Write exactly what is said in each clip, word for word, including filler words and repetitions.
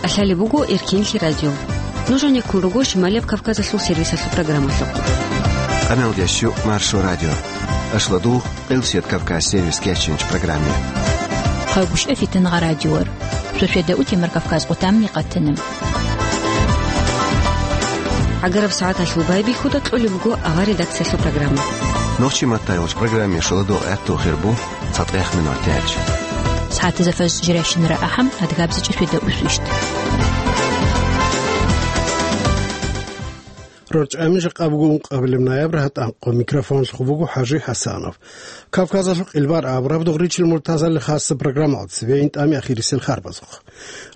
ТӀалъалеб буго Эркинлъи радио. Нуж гьанеккун руго Шималияб Кавказалъул сервисалъул программалъухъ. Къаналдящу Маршо радио. Ашладу Къилсият Кавказ сервис кечинч программе. Хъагушев Фитнагъа радиор. Сосведа утимар Кавказ къутамни къатана. ГӀагараб сагӀаталъул байбихьуда кьолеб буго авар редакциялъул программа. Нохчи маттайолч программе шоладо гӀатту хирбу. Цадгъех минутач. СагӀатазда фаз жиращинара ахӀам, адгабзичӀ светда усвищт. РорчӀами жакъа буго ункъабилеб ноябрь гьатӀанкъо. Микрофон хъубуго ХӀажи ХӀасанов. Кавказалъул къилбар абураб дугъричил муртазали хасса программалда цеве интӀами ахирисел харбазухъ.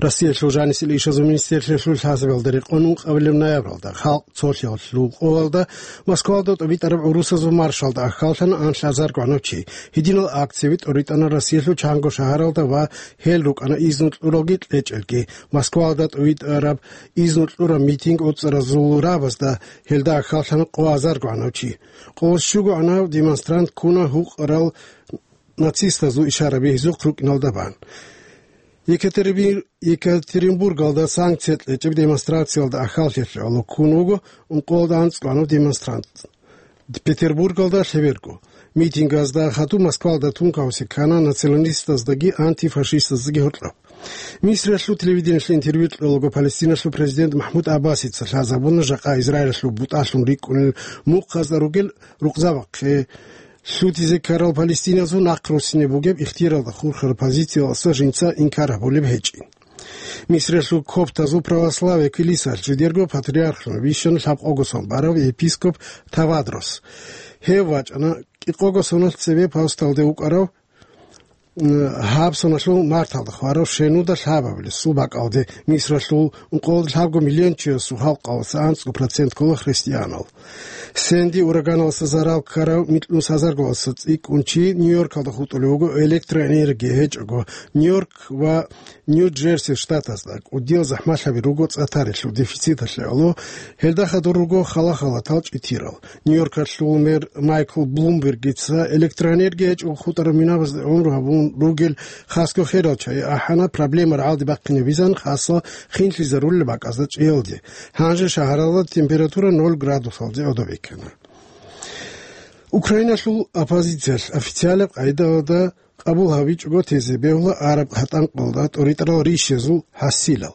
Россиялъул жанисел ишазул министрлъиялъул хӀасабалда рекъон ункъабилеб ноябралда халкъ цолъиялъул къолалда Москвалда тӀубитӀараб гӀурусазул маршалда аххаллъана анлъазар гванав чи. Гьединал акцияби тӀоритӀана Россиялъул чанго шагьаралда ва гьел рукӀана изну кьуралги кьечӀелги. Москвалда тӀубитӀараб изну кьураб митинг уцӀаразул рабазда гьелда аххаллъана къо азар гванав чи. Къо щуго гӀанав демонстрант ккуна гьукъарал нацистазул ишараби гьезухъ рукӀиналда бан. Екатеринбур-, Екатеринбургалда санкция кьечӀеб демонстрациялда аххаллъиялъе гӀоло ккун вуго ункъоялда анцӀкӀванав демонстрант. Петербургалда лъеберго. Митингазда хадуб Москвалда тункаосе ккана националистаздаги антифашистаздаги гьоркьоб. Мисралъул телевидениелъе интервью кьолаго Палестиналъул президент МахӀмуд Аббасица лъазабуна жакъа Израилалъул бутӀалъун рикӀкӀунел мухъазда ругел рукъзабахъе лъутизе ккарал палестиназул нахъ руссине бугеб ихтияралда хурхараб позициялдаса жинца инкар гьабулеб гьечӀин. Мисралъул коптазул православие килисаялъ жидерго патриархлъун вищана лъабкъого сон барав епископ Тавадрос. Гьев вачӀана кӀикъого соналъ цебе Павсталде вукӀарав, м, гьаб соналъул марталда хварав щенуда лъабабилесул бакӀалде. Мисралъул ункъоялда лъабго миллион чиясул халкъалъулъ анцӀго процент ккола христианал. Сэнди ураганалъа зарал ккарав микьнус гьазарго цӀикӀкӀун чи Нью-Йоркалда хутӀулев вуго электроэнергия гьечӀого. Нью-Йорк ва Нью-Джерси штатазда кӀудиял захӀмалъаби руго цӀа тарелъул дефициталъе гӀоло, гьелда хадур руго хала-халатал чӀитирал. Нью-Йоркалъул мэр Майкл Блумбергица электроэнергия гьечӀого хутӀараб минабазда гӀумру гьабун ругел хасго херал чагӀи ахӀана, проблема рагӀалде бахъинабизан хасго хинлъизарулел бакӀазда чӀиялде. Гьанже шагьаралда температура ноль градусалде гӀодобе ккана. Украиналъул оппозициялъ официалаб къайдалда къабул гьабичӀого тезе бегьула араб гьатӀанкъалда тӀоритӀарал ришазул хӀасилал.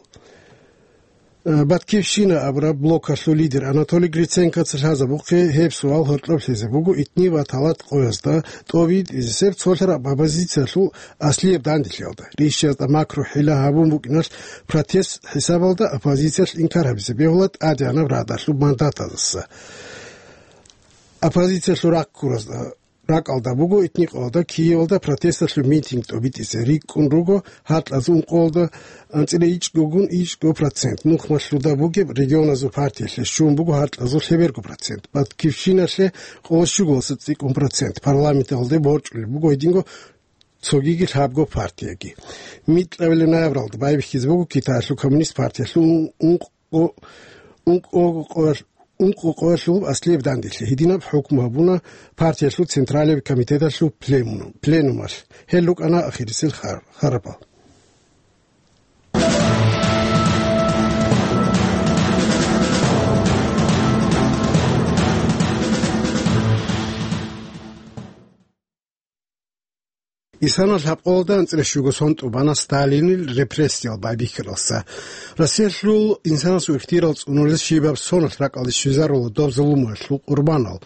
Э, Баткивщина абураб блокалъул лидер Анатолий Гриценкоца лъазабухъе гьеб суал гьоркьоб лъезе буго итни ва талат къоязда тӀобитӀизесеб цолъараб оппозициялъул аслияб данделъиялда. Ришазда макру хӀила гьабун букӀиналъ протест хӀисабалда оппозициялъ инкар гьабизе бегьула ТӀадегӀанаб Радалъул мандатаздаса. Оппозициялъул рахъ ккуразда ракӀалда буго итни къоялда Киевалда протесталъул митинг тӀобитӀизе рикӀкӀун руго гьаркьазул ункъоялда анцӀила ичӀгогун ичӀго процент. Нухмалъуда бугеб регионазул партиялъе щун буго гьаркьазул лъеберго процент. Баткивщиналъе къоло щуголаса цӀикӀкӀун процент. Парламенталде борчӀулеб буго гьединго цогиги лъабго партияги. Микьабилеб ноябралда байбихьизе буго Китаялъул коммунист партиялъул ункъ-, ункъо-, ункъо къоялъ-, ункъо къоялъул аслияб данделъи. Гьединаб хӀукму гьабуна партиялъул Централияб комитеталъул пленум-, пленумалъ. Гьел рукӀана ахирисел хар-, харабал. Исана лъабкъоялда анцӀила щуго сон тӀубана Сталинил репрессиял байбихьаралса. Россиялъул инсанасул ихтияр цӀунулес щибаб соналъ ракӀалде щвезарула доб зулумалъул къурбанал.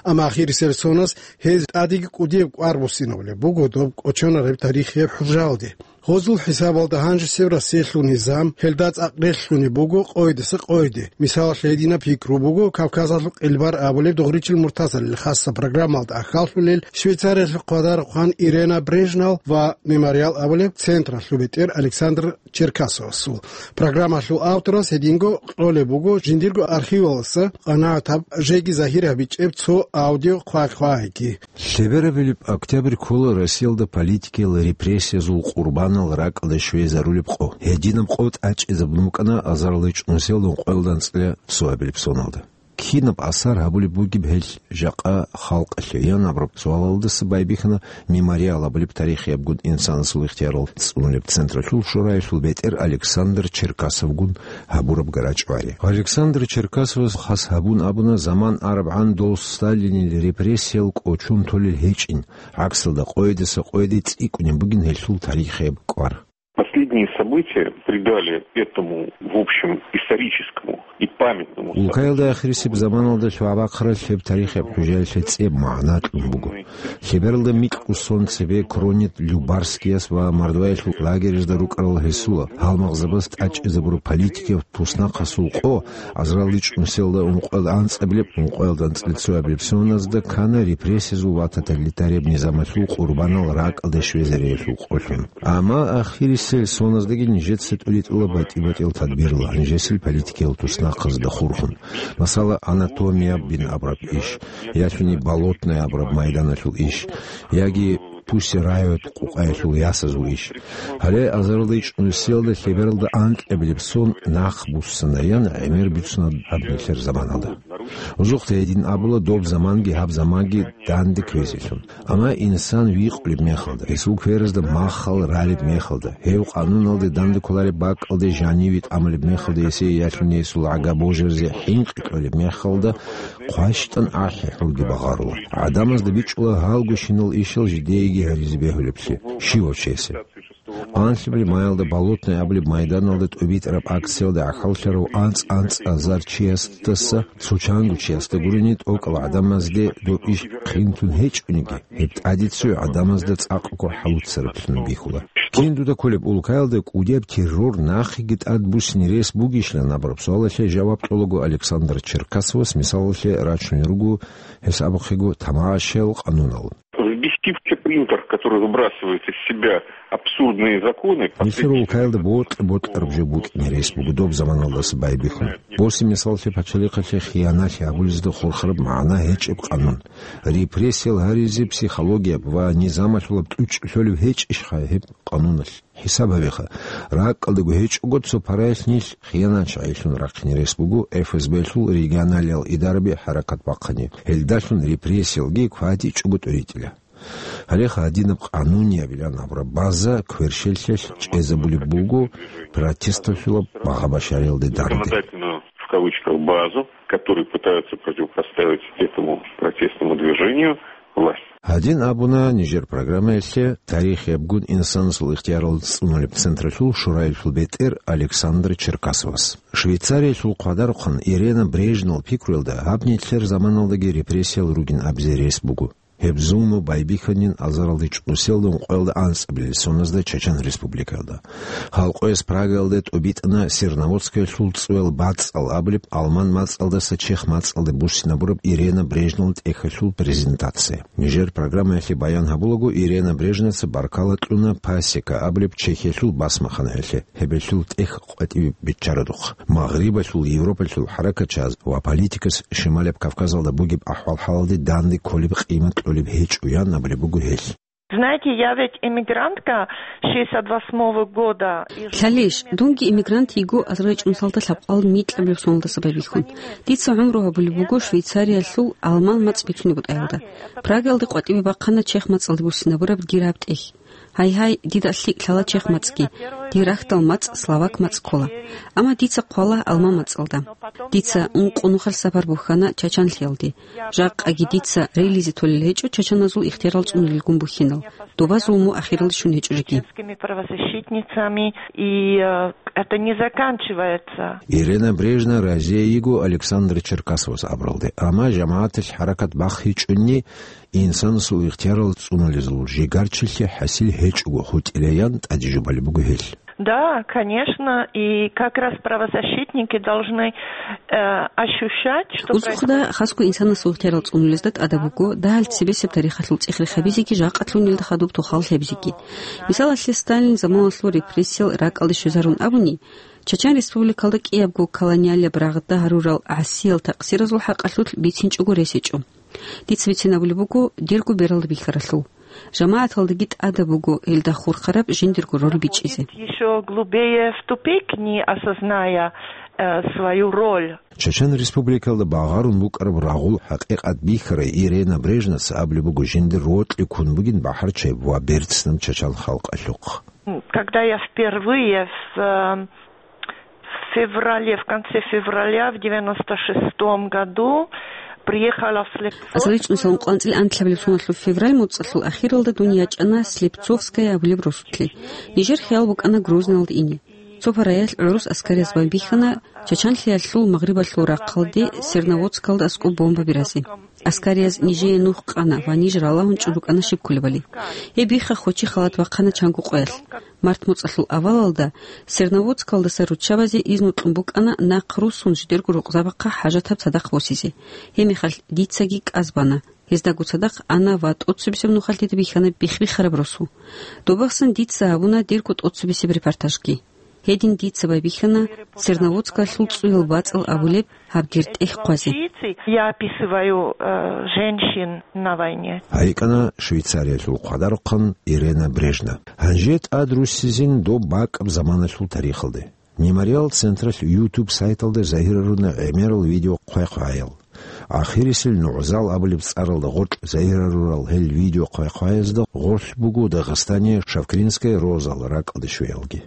Амма ахирисел соназ гьез тӀадеги кӀудияб кӀвар буссинабулеб буго доб кӀочонареб тарихияб хӀужаялде. Гьозул хӀисабалда гьанжесеб Россиялъул низам, гьелда цӀакъ релълъунеб буго къойдаса къойде. Мисалалъе, гьединаб пикру буго Кавказалъул къилбар абулеб дугъричил муртазарил хасса программалда аххаллъулел Швейцариялъул хъвадарухъан Ирена Брежнал ва Мемориал абулеб централъул бетӀер Александр Черкасовасул. Программалъул авторас гьединго кьолеб буго жиндирго архиваласа къанагӀатаб жеги загьир гьабичӀеб цо аудио хъвай-хъвайги. Лъеберабилеб октябрь ккола Россиялда политикиял репрессиязул къурбанал ракӀалде щвезарулеб къо. Гьединаб къо тӀачӀизабун букӀана азарилчӀунусиялда ункъоялда анцӀила цоабилеб соналда. Кинаб асар гьабулеб бугеб гьел жакъа халкъалъе? Ян абураб суалалдаса байбихьана «Мемориал» абулеб тарихиябгун инсанасул ихтиярал цӀунулеб централъул шораялъул бетӀер Александр Черкасовгун гьабураб гарачӀвари. Александр Черкасовас хас гьабун абуна, заман арабгӀан дол Сталинил репрессиял кӀочон толел гьечӀин, гӀаксалда къойидаса къойиде цӀикӀкӀунеб бугин гьелъул тарихияб кӀвар. Последние события придали этому, в общем, историческому и памятному событию. Улкаялда ахирисеб заманалда лъугӀа-бахъарал гьеб тарихияб хӀужаялъе цӀеб магӀна кьун буго. Лъебералда микьго сон цебе Кронет-Любарскияс ва Мордваялъул лагерьазда рукӀарал гьесула гьалмагъзабаз тӀадчӀезабураб политикияв туснахъасул къо азаралда чӀунусиялда ункъоялда анцӀабилеб, ункъоялда анцӀила цоябилеб соназда ккана репрессиязул ва тоталитарияб низамалъул къурбанал ракӀалде щвезариялъул къолъун. Амма ахирисел соназдаги нижеца тӀуритӀула батӀи-батӀиял тадбирла, нижесил политикиял туснахъазда хурхун. Масала, «Анатомия» бин абураб иш, ялъуни «Болотная» абураб майданалъул иш, яги «Пуссе райот» къукъаялъул ясазул иш. Гьале азаралда чӀунусиялда лъебералда анкьабилеб сон нахъ буссана, ян гӀемер бицуна гьаб нилъер заманалда. Узухъе гьедин абула, доб заманги гьаб заманги данде кквезелъун. Амма инсан викъулеб мехалда, гьесул кверазда махал ралеб мехалда, гьев къануналде данде кколареб бакӀалде жаниве тӀамулеб мехалда, гьесие ялъуни гьесул гӀага божаризе хӀинкъи кьолеб мехалда, хъващтӀан ахӀи-хӀурги багъарула. ГӀадамазда бичӀчӀула гьалгощинал ишал жидееги гьаризе бегьулеблъи, щивав чиясе. Анлъабилеб маялда Болотная абулеб майданалда тӀубитӀараб акциялда гӀахьаллъарав анцӀ-анцӀазар чиясдаса цо чанго чиясда гурони тӀокӀал гӀадамазде доб иш хъинтун гьечӀониги, гьеб тӀаде цо гӀадамазда цӀакъго хӀалуцараблъун бихьула. Кин дуда кколеб улкаялда кӀудияб террор нахъеги тӀад буссине рес бугищилан абураб суалалъе жаваб кьолаго Александр Черкасовас мисалалъе рачунел руго, гьес абухъего, тамашаял къанунал. Взбесивший принтер, который выбрасывает из себя абсурдные законы. Нилъер улкаялда бокьа-бокьараб жо букӀине рес буго доб заманалдаса байбихьун. Боси мисаллъи пачалихъалъе хияналъи гьабулезда хурхараб магӀна гьечӀеб къанун. Репрессиял гьаризе психологияб ва низамалъулаб тӀучӀ лъолеб гьечӀищха гьеб къануналъ? ХӀисаб гьабеха, ракӀалдаго гьечӀого цо параялъ нилъ хияначагӀилъун рахъине рес буго ФСБ-лъул регионалиял идараби хӀаракат бахъани, гьелдалъун репрессиялги кватӀичӀого тӀуритӀила. Гьале гьадинаб къануниябилан абураб база кверщеллъиялъ чӀезабулеб буго протесталъулаб багъа-башариялде данде. Законодательную, в кавычках, базу, которые пытаются противопоставить этому протестному движению власть. Гьадин абуна нижер программаялъе тарихиябгун инсанасул ихтиярал цӀунулеб централъул шораялъул бетӀер Александр Черкасовас. Швейцариялъул хъвадарухъан Ирена Брежнал пикруялда гьаб нилъер заманалдаги репрессиял ругин абизе рес буго. Гьеб зулму байбихьанин азаралда чӀунусиялда ункъоялда анцӀабилеб соназда Чачан Республикаялда. Халкъояс Прагаялда тӀубитӀана Серноводскаялъул цӀуял бацӀцӀал абулеб алман мацӀалдаса чех мацӀалде буссинабураб Ирена Брежневал тӀехьалъул презентация. Нижер программаялъе баян гьабулаго, Ирена Брежневаца баркала кьуна Пасека абулеб Чехиялъул басмаханаялъе, гьебелъул тӀехь къватӀибе биччарадухъ. Магърибалъул, Европалъул хӀаракатчияс ва политикас Шималаб Кавказалда бугеб ахӀвал-хӀалалде данде кколеб къимат кьолеб гьечӀо, ян абулеб буго гьел. Знаете, я ведь эмигрантка шестьдесят восьмого года. Лъалищ, дунги эмигрант йиго азарал чӀунусиялда лъабкъоялда микьабилеб соналдаса байбихьун. Дица гӀумру гьабулеб буго Швейцариялъул алман мацӀ бицунеб бутӀаялда. Прагаялде къватӀибе бахъана чех мацӀалде буссинабураб дир гьаб тӀехь. Гьай-гьай, дида лъикӀ лъала чех мацӀги, дир рахьдал мацӀ словак мацӀ ккола. Амма дица хъвала алман мацӀалда. Дица ункъо нухалъ сапар бухьана Чачанлъиялде. Жакъаги дица релизе толел гьечӀо чачаназул ихтиярал цӀунулелгун бухьинал, доба зулму ахиралде щун гьечӀо жеги. Чеченскими правозащитницами, и, э, это не заканчивается. Ирена Брежнева разие йиго Александр Черкасовас абуралде, амма жамагӀаталъ хӀаракат бахъичӀунни, инсанасул ихтиярал цӀунулезул жигарчилъи хӀасил гьечӀого хутӀилаян тӀаде жубалеб буго гьел. Да, конечно, и как раз правозащитники должны, э, ощущать, что... Узухъда, хасго инсанасул ихтиярал цӀунулезда тӀадаб буго дагьал цебесеб тарихалъул цӀех-рех гьабизеги жакъалъулнилда хадуб тохал лъабизеги. Мисалалъе, Сталин заманалъул репрессиял ракӀалде щвезарун абуни, Чачан Республикалда кӀиябго колониалияб рагъда гьарурал гӀасиял такъсиразул хӀакъалъулъ бицинчӀого рес гьечӀо. Дица бицин абулеб буго дирго бералда бихьаралъул. ЖамагӀаталдаги тӀадаб буго гьелда хурхараб жиндирго роль бичӀчӀизе. Ещё глубее в тупик, не осозная э, свою роль. Чечен Республикалда багъарун букӀараб рагъул хӀакъикъат бихьарай Ирена Брежневас абулеб буго жиндир рокьи ккун бугин бахӀарчияб ва берцинаб чачан халкъалъухъ. Когда я впервые в, э, в феврале, в конце февраля, в девяносто шестом году приехала в Слепцовск. Асал ичӀнусилан къванцӀил анлъабилеб соналъул февраль муцӀалъул ахиралда дун ячӀана Слепцовская абулеб росулъе. Нижер хиял букӀана Грозналда ине. Цо параялъ гӀурус аскарияз байбихьана Чачанлъиялъул магърибалъул рахъалде Серноводскалда аскӀоб бомба биразе. Аскарияз нижее нух къана ва ниж ралагьун чӀун рукӀана щиб кколебали. Гьеб бихха хочи халат бахъана чанго къоялъ. Март муцӀалъул авалалда Серноводскалдаса руччабазе изну кьун букӀана нахъ руссун жидерго рукъзабахъа хӀажатаб цадахъ босизе. Гьеб мехалъ дицаги кӀаз бана. Гьездаго цадахъ ана ва тӀоцебесеб нухалъ дида бихьана бихбихараб росу. Добахъсан дица гьабуна дирго тӀоцебесеб репортажги. Гьедин дица байбихьана Серноводскалъул цӀуял бацӀал абулеб гьаб гертӀелъ хъвазе. Я описываю, э, женщин на войне. ГьайикӀана Швейцариялъул хъвадарухъан Ирена Брежнев. Гьанже тӀад руссизин доб бакӀаб заманалъул тарихалде. Мемориал централъ YouTube сайталда загьируна гӀемерал видео хъвай-хъваял. Ахирисел НугӀзал абулеб цӀаралда гъоркь загьирарурал гьел видео хъвай-хъваязда гъорлъ буго Дагъистание Шавкринская розал ракӀалде щвеялги.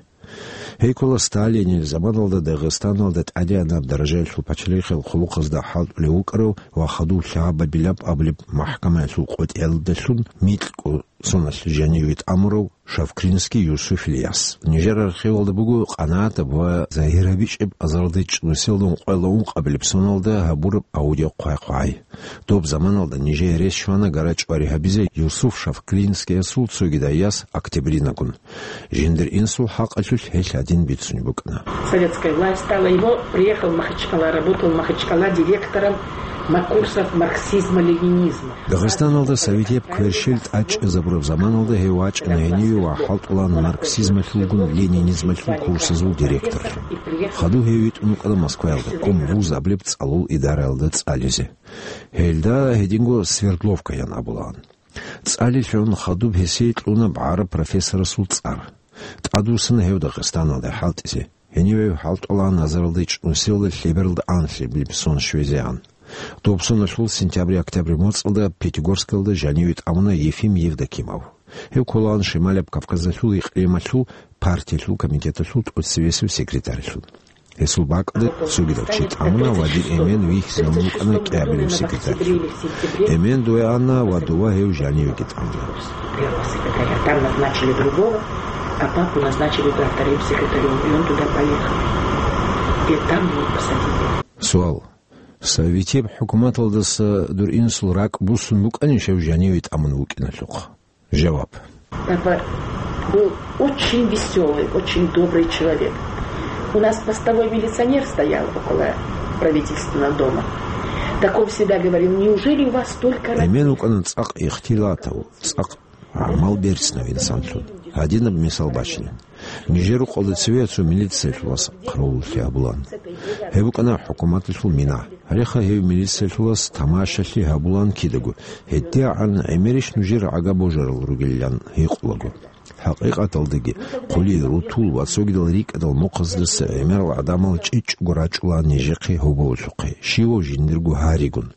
Гьей ккола Сталинил заманалда Дагъистаналда тӀадегӀанаб даражаялъул пачалихъал хъулухъазда хӀалтӀулев вукӀарав ва хадув лъабабилаб абулеб махӀкамаялъул къотӀиялдалъун микьго соналъ жаниве тӀамурав Шавкринский Юсуф Ильяс. Нижер архивалда буго къанагӀатаб ва загьир гьабичӀеб азаралда чӀунусиялда ункъоялда ункъабилеб соналда гьабураб аудио хъвай-хъвай. Доб заманалда нижее рес щвана гара-чӀвари гьабизе Юсуф Шавкринскиясул цогидаяс Октябринагун. Жиндир инсул хӀакъалъулъ гьелъ гьадин бицунеб букӀана. Советская власть стала его, приехал в Махачкала, работал в Махачкала директором на курсах марксизма-ленинизма. Дагъистаналда советияб кверщел тӀадчӀезабураб заманалда гьев вачӀана гьениве ва хӀалтӀулан марксизмалъулгун ленинизмалъул курсазул директорлъун. Хадув гьев витӀун вукӀана Москваялда, Ком вуз абулеб цӀалул идараялда цӀализе. Гьелда гьединго Свердловкаян абулаан. ЦӀалилъун хадуб гьесие кьуна гӀараб профессорасул цӀар. ТӀадвуссана гьев Дагъистаналде хӀалтӀизе. Гьениве хӀалтӀулаан азаралда чӀунусиялда лъебералда анлъабилеб сон щвезегӀан. Доб соналъул сентябрь-октябрь моцӀалда Пятигорскалда жаниве тӀамуна Ефим Евдокимов. Гьев кколаан Шималаб Кавказалъул икълималъул партиялъул комитеталъул тӀоцевесев секретарьлъун. Гьесул бакӀалда цогидав чи тӀамуна ва дир эмен вихьизавун вукӀана кӀиабилев секретарьлъун. Эмен дове ана ва дова гьев жанивеги тӀамуна. Первого секретаря. Там назначили другого, а папу назначили, да, вторым секретарем, и он туда поехал. И там его посадили. Суал. Советияб хӀукуматалдаса дур инсул ракӀ буссун букӀанищ гьев жаниве тӀамун вукӀиналъухъ? Жаваб. Папа был очень весёлый, очень добрый человек. У нас постовой милиционер стоял около правительственного дома. Так он всегда говорил: «Неужели у вас столько работы?» Эмен вукӀана цӀакъ ихтилатав, цӀакъ гӀамал берцинав инсанлъун. Гьадинаб мисал бачинин. Нижер рукъалда цеве цо милициялъулас хъаравуллъи гьабулаан. Гьеб букӀана хӀукуматалъул мина. Гьалеха гьев милициялъулас тамашалъи гьабулаан кидаго, гьедигӀан гӀемерищ нужер гӀага божарал ругилан гьикъулаго. ХӀакъикъаталдаги, хъули, рутул ва цогидал рикӀкӀадал мухъаздаса гӀемерал гӀадамал чӀечӀого рачӀула нижехъе гьоболлъухъе, щивав жиндирго гьаригун.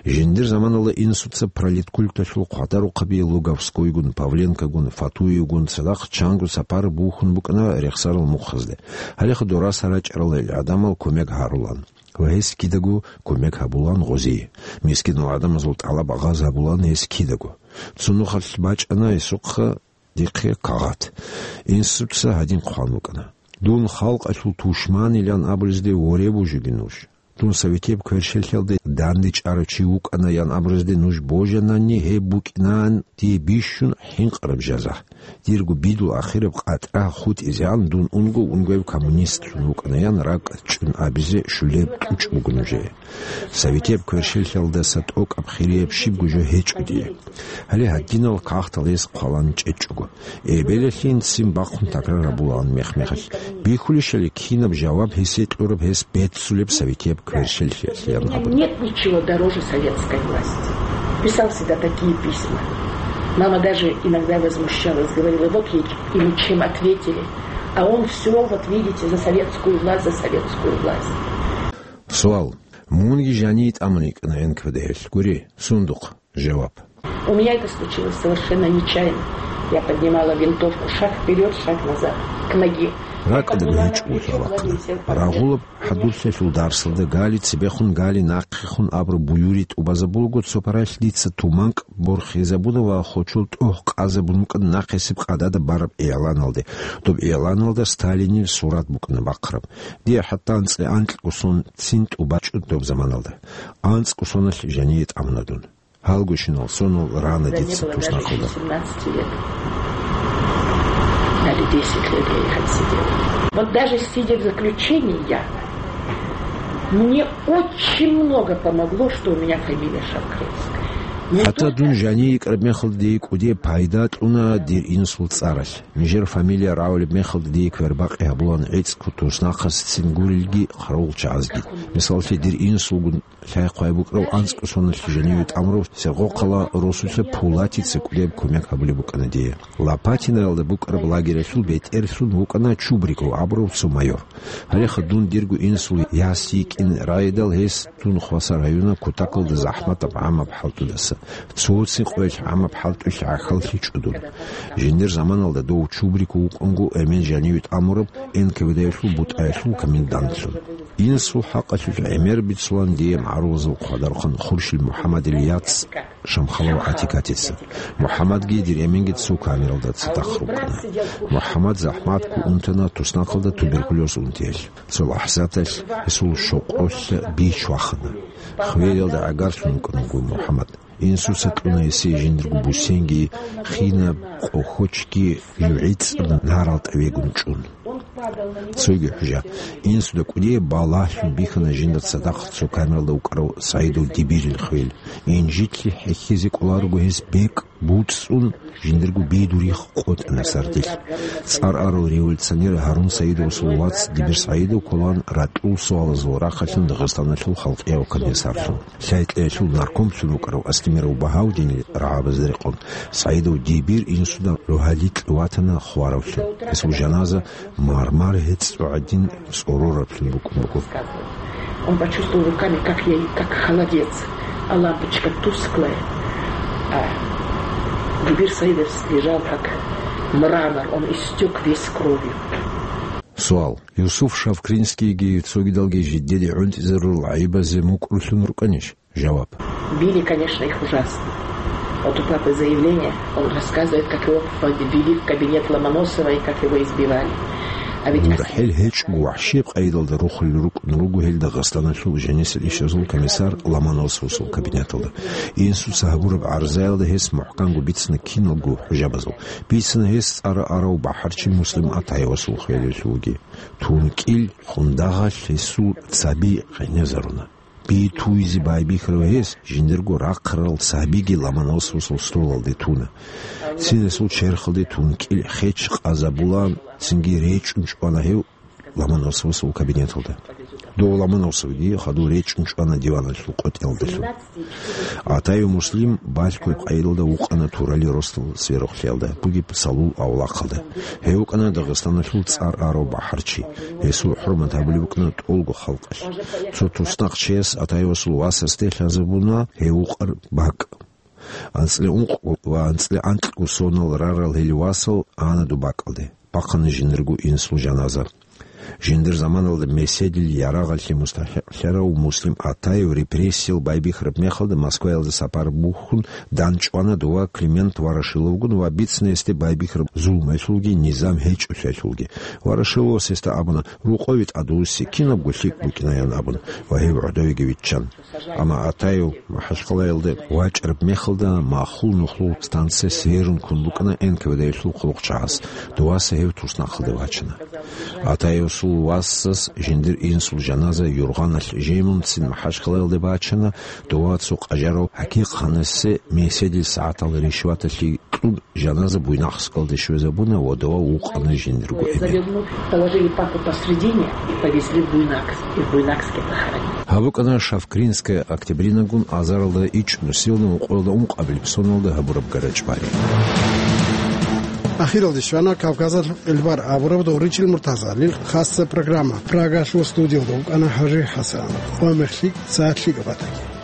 Жиндир заманалда инсуца пролеткульталъул хъвадарухъаби Луговскойгун, Павленкогун, Фатуевгун цадахъ чанго сапар бухьун букӀана рехсарал мухъазде. Гьалеха дораса рачӀарал гьел гӀадамал кумек гьарулан ва гьес кидаго кумек гьабулан гъозие. Мискинал гӀадамазул тӀалаб агъаз гьабулан гьес кидаго. Цо нухалъ бачӀана гьесухъа дихъе кагъат. Инсуца гьадин хъван букӀана: «Дун халкъалъул тушманилан абулезде воре бужиги нуж. Дун советияб кверщелъалде дандечӀарав чи вукӀана ян абурезде нуж божанани, гьеб букӀинаан дие бищун хӀинкъараб жаза. Дирго бидул ахираб къатӀра хутӀизегӀан дун унго-унгояб коммунистлъун вукӀана ян ракӀ чӀун абизе щулеб кьучӀ буго нужее. Советияб кверщелъалдаса тӀокӀаб хирияб щибго жо гьечӀо дие». Гьале гьадинал кагътал гьес хъвалан чӀечӀого. Эбелалъин ццин бахъун такрар гьабулаан мех-мехалъ. Бихьулищали кинаб жаваб гьесие кьураб гьес беццулеб советияб кверщелъиялъеян абун. Нет ничего дороже советской власти. Писал всегда такие письма. Мама даже иногда возмущалась, говорила: «Вот ей ему чем ответили». А он всё, вот видите, за советскую власть, за советскую власть. Суал. Мунги жаниве тӀамун йикӀана Н К В Д-ялъ. Гури, сундухъ. Жаваб. У меня это случилось совершенно нечаянно. Я поднимала винтовку, шаг вперёд, шаг назад, к ноге. РакӀалда гьечӀого лъалахъана. Рагъулаб хӀадурлъиялъул дарсалда гали цебехун, гали нахъехун абураб буюри тӀубазабулаго, цо паралъ дица туманкӀ борхизабуна ва хочол тӀогь къазабун букӀана нахъисеб къадада бараб игӀланалде. Доб игӀланалда Сталинил сурат букӀана бахъараб. Дие хӀатта анцӀила анкьго сон цин тӀубачӀо доб заманалда. АнцӀго соналъ жаниве тӀамуна дун. Гьалгощинал сонал рана дица туснахъалда. Даже не было даже ещё семнадцати лет. Дали десять лет я их отсидела. Вот даже сидя в заключении, я, мне очень много помогло, что у меня фамилия Шавкринская. Мне... ХӀатта дун жаниве йикӀараб мехалда дие кӀудияб пайда кьуна дир инсул цӀаралъ. Нижер фамилия рагӀулеб мехалда дие квербакъи гьабулаан гӀицӀго туснахъасцин гурелги хъаравулчагӀазги. Мисаллъи, дир инсулгун лъай-хъвай букӀарав анцӀго соналъ жаниве тӀамурав Сергокъала росулъа Пулатица кӀудияб кумек гьабулеб букӀана дие. Лопатиноялда букӀараб лагералъул бетӀерлъун вукӀана Чубриков абурав цо майор. Гьалеха дун дирго инсул яс йикӀин райдал гьес дун хваса района кутакалда захӀматаб гӀамаб хӀалтӀудаса, цоцин къоялъ гӀамаб хӀалтӀуялъ гӀахьаллъичӀо дун. Жиндир заманалда дов Чубриков вукӀанго эмен жаниве тӀамураб Н К В Д-ялъул бутӀаялъул комендантлъун. Инсул хӀакъалъулъ гӀемер бицулаан дие магӀарулазул хъвадархъан Хуршил МухӀаммадил яц Шамхалов ГӀатикатица. МухӀаммадги дир эменги цо камералда цадахъ рукӀана. МухӀаммад захӀматго унтана туснахъалда туберкулез унтиялъ. Цо лахӀзаталъ гьесул щокъолъа бич вахана. Хвелалда гӀагарлъун вукӀана вуго МухӀаммад. Инсуца кьуна гьесие жиндирго бусенги, хинаб къохочги, жугӀицӀаб нарал тӀавегун чӀун. Цоги хӀужа. Инсуда кӀудияб балагьлъун бихьана жинда цадахъ цо камералда вукӀарав СагӀидов Дибирил хвел. Инжитлъи хӀехьизе кӀоларого гьес бекӀ буцӀцӀун, жиндирго бидурихъ къотӀана сардилъ. ЦӀар арав революционер Гьарун Саидовасул вац Дибир СагӀидов кколаан ракьул суалазул рахъалъан Дагъистаналъул халкъияв комиссарлъун. Лъай-кьеялъул наркомлъун вукӀарав Астемиров Багьавдинил рагӀабазда рекъон, СагӀидов Дибир инсуда рогьалил ватана хваравлъун. Гьесул жаназа мармар гьецӀ гӀадин цӀорораблъун букӀун буго. Он почувствовал руками, как я, как холодец, а лампочка тусклая, а Дибир Саидов лежал как мрамор, он истёк весь кровью. Суал. Юсуф Шавкринскийги цогидалги жидеде гӀунтӀизарурал гӀайибазе мукӀрулъун рукӀанищ? Жаваб. Били, конечно, их ужасно. Вот у папы заявление, он рассказывает, как его ввели в кабинет Ломоносова и как его избивали. А ведь... ГурхӀел гьечӀого вахӀшияб къайдалда рухулел рукӀун руго гьел Дагъистаналъул жанисел ишазул комиссар Ломоносовасул кабинеталда. Инсуца гьабураб гӀарзаялда гьес мухӀканго бицана киналго хӀужабазул. Бицана гьес цӀар арав бахӀарчи Муслим Атаевасул хвелалъулги. ТункӀил хундагъалъ гьесул цаби гъенезаруна. Би туйзе байбихьарав гьес жиндирго рахъарал цабиги Ломоносовасул столалде туна. Цин гьесул черхалде тункӀил хеч къазабулаан, цинги речӀчӀун чӀвана гьев Ломоносовасул кабинеталда. Дов Ломоносовги хадув речӀчӀун чӀвана диваналъул къотӀиялдалъун. Атаев Муслим балъгояб къайдалда вукъана Турали росдал сверухълъиялда бугеб Салул авлахъалда. Гьев вукӀана Дагъистаналъул цӀар арав бахӀарчи. Гьесул хӀурмат гьабулеб букӀана тӀолго халкъалъ. Цо туснахъчияс Атаевасул васасде лъазабуна гьев вукъараб бакӀ. АнцӀила ункъго ва анцӀила анкьго сонал рарал гьел васал ана доб бакӀалде. Бахъана жиндирго инсул жаназа. Жиндир заманалда меседил ярагъалъе мустахӀикълъарав Муслим Атаев репрессиял байбихьараб мехалда Москваялда сапар бухьун дандчӀвана дова Климент Ворошиловгун ва бицна гьесде байбихьараб зулмуялъулги низам гьечӀолъиялъулги. Ворошиловас гьесда абуна, рокъове тӀадвуссин, кинабго лъикӀ букӀинаян абун, ва гьев гӀодовеги виччан. Амма Атаев МахӀачхъалаялда вачӀараб мехалда махул нухлул станция Северун ккун букӀана Н К В Д-ялъул хъулухъчагӀаз. Доваса гьев туснахъалде вачана. Атаевасул васас жиндир инсул жаназа юргъаналъ жемунцин МахӀачхъалаялде бачана, дова цо къажарав ХӀакъикъ ханасде меседил сагӀатал ришваталъе кьун жаназа Буйнакскалде щвезабуна ва дова вукъана жиндирго эмен. Завернув, положили папу посредине и повезли в Буйнакск, и в Буйнакске похоронили. Гьаб букӀана Шавкринская Октябринагун азаралда ичӀнусиялда ункъоялда ункъабилеб соналда гьабураб гара чӀвари. Ахиралде щвана Кавказалъул къилбар абураб Доричил Муртазалил хасса программа. Прагалъул студиялда вукӀана ХӀажи ХӀасан. Къо мехлъи, сагӀат лъикӀаб батаги.